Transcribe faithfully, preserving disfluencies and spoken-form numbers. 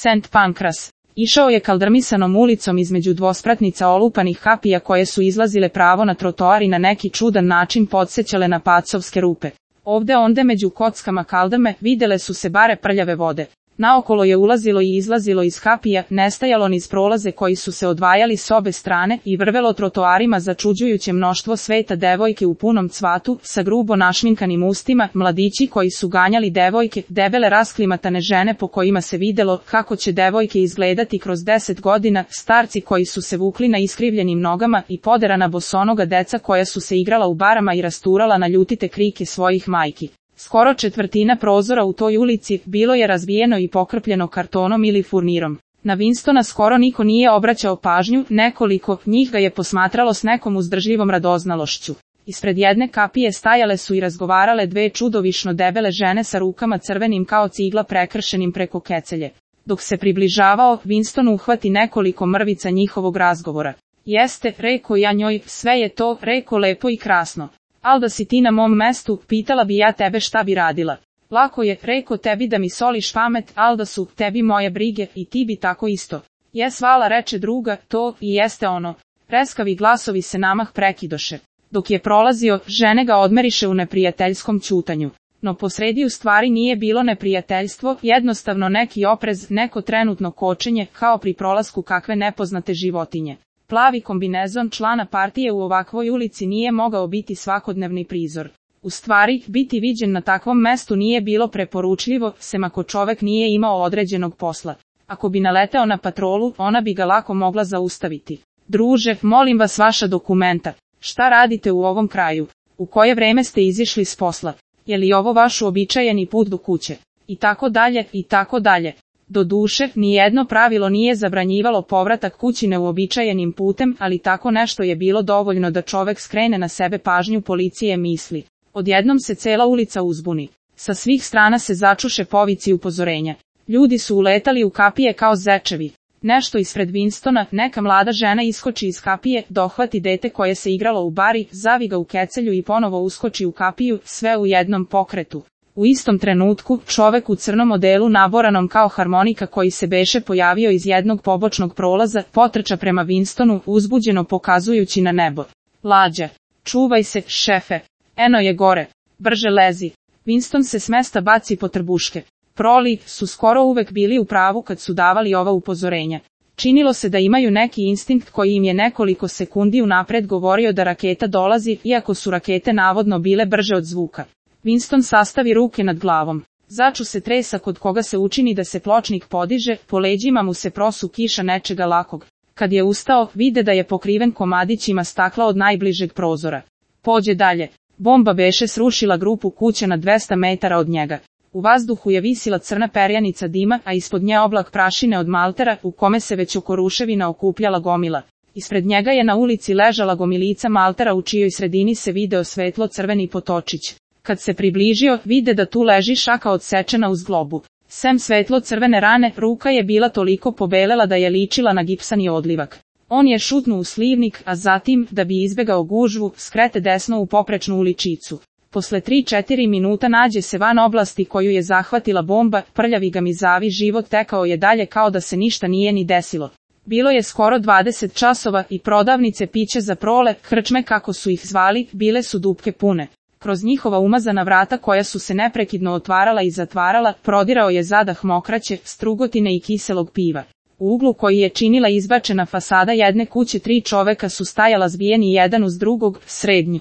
Sent Pankras. Išao je kaldrmisanom ulicom između dvospratnica olupanih kapija koje su izlazile pravo na trotoar i na neki čudan način podsećale na pacovske rupe. Ovde onde među kockama kaldrme videle su se bare prljave vode. Naokolo je ulazilo i izlazilo iz kapija, nestajalo niz prolaze koji su se odvajali s obe strane i vrvelo trotoarima začuđujuće mnoštvo sveta devojke u punom cvatu, sa grubo našminkanim ustima, mladići koji su ganjali devojke, debele rasklimatane žene po kojima se videlo kako će devojke izgledati kroz deset godina, starci koji su se vukli na iskrivljenim nogama i poderana bosonoga deca koja su se igrala u barama i rasturala na ljutite krike svojih majki. Skoro četvrtina prozora u toj ulici bilo je razbijeno i pokrpljeno kartonom ili furnirom. Na Winstona skoro niko nije obraćao pažnju, nekoliko njih ga je posmatralo s nekom uzdržljivom radoznalošću. Ispred jedne kapije stajale su i razgovarale dve čudovišno debele žene sa rukama crvenim kao cigla prekršenim preko kecelje. Dok se približavao, Winston uhvati nekoliko mrvica njihovog razgovora. Jeste, reko ja njoj, sve je to, reko lepo i krasno. Al da si ti na mom mestu, pitala bi ja tebe šta bi radila. Lako je, reko tebi da mi soliš pamet, al da su tebi moje brige i ti bi tako isto. Jes vala, reče druga, to i jeste ono. Preskavi glasovi se namah prekidoše. Dok je prolazio, žene ga odmeriše u neprijateljskom ćutanju. No posredi u stvari nije bilo neprijateljstvo, jednostavno neki oprez, neko trenutno kočenje, kao pri prolasku kakve nepoznate životinje. Plavi kombinezon člana partije u ovakvoj ulici nije mogao biti svakodnevni prizor. U stvari, biti viđen na takvom mestu nije bilo preporučljivo, sem ako čovek nije imao određenog posla. Ako bi naleteo na patrolu, ona bi ga lako mogla zaustaviti. Druže, molim vas vaša dokumenta. Šta radite u ovom kraju? U koje vreme ste izišli s posla? Je li ovo vaš uobičajeni put do kuće? I tako dalje, i tako dalje. Doduše, nijedno pravilo nije zabranjivalo povratak kući neuobičajenim putem, ali tako nešto je bilo dovoljno da čovek skrene na sebe pažnju policije misli. Odjednom se cela ulica uzbuni. Sa svih strana se začuše povici upozorenja. Ljudi su uletali u kapije kao zečevi. Nešto ispred Winstona, neka mlada žena iskoči iz kapije, dohvati dete koje se igralo u bari, zavi ga u kecelju i ponovo uskoči u kapiju, sve u jednom pokretu. U istom trenutku, čovek u crnom odelu naboranom kao harmonika koji se beše pojavio iz jednog pobočnog prolaza, potrča prema Winstonu, uzbuđeno pokazujući na nebo. Lađa. Čuvaj se, šefe. Eno je gore. Brže lezi. Winston se s mesta baci po trbuške. Proli su skoro uvek bili u pravu kad su davali ova upozorenja. Činilo se da imaju neki instinkt koji im je nekoliko sekundi unapred govorio da raketa dolazi, iako su rakete navodno bile brže od zvuka. Winston sastavi ruke nad glavom. Začu se tresa kod koga se učini da se pločnik podiže, po leđima mu se prosu kiša nečega lakog. Kad je ustao, vide da je pokriven komadićima stakla od najbližeg prozora. Pođe dalje. Bomba beše srušila grupu kuća na dvesta metara od njega. U vazduhu je visila crna perjanica dima, a ispod nje oblak prašine od maltera, u kome se već oko ruševina okupljala gomila. Ispred njega je na ulici ležala gomilica maltera u čijoj sredini se video svetlo crveni potočić. Kad se približio, vide da tu leži šaka odsečena uz globu. Sem svetlo crvene rane, ruka je bila toliko pobelela da je ličila na gipsani odlivak. On je šutnuo u slivnik, a zatim, da bi izbegao gužvu, skrete desno u poprečnu uličicu. Posle tri četiri minuta nađe se van oblasti koju je zahvatila bomba, prljavi ga mizavi život tekao je dalje kao da se ništa nije ni desilo. Bilo je skoro dvadeset časova i prodavnice pića za prole, krčme kako su ih zvali, bile su dupke pune. Kroz njihova umazana vrata koja su se neprekidno otvarala i zatvarala, prodirao je zadah mokraće, strugotine i kiselog piva. U uglu koji je činila izbačena fasada jedne kuće tri čoveka su stajala zbijeni jedan uz drugog, srednji.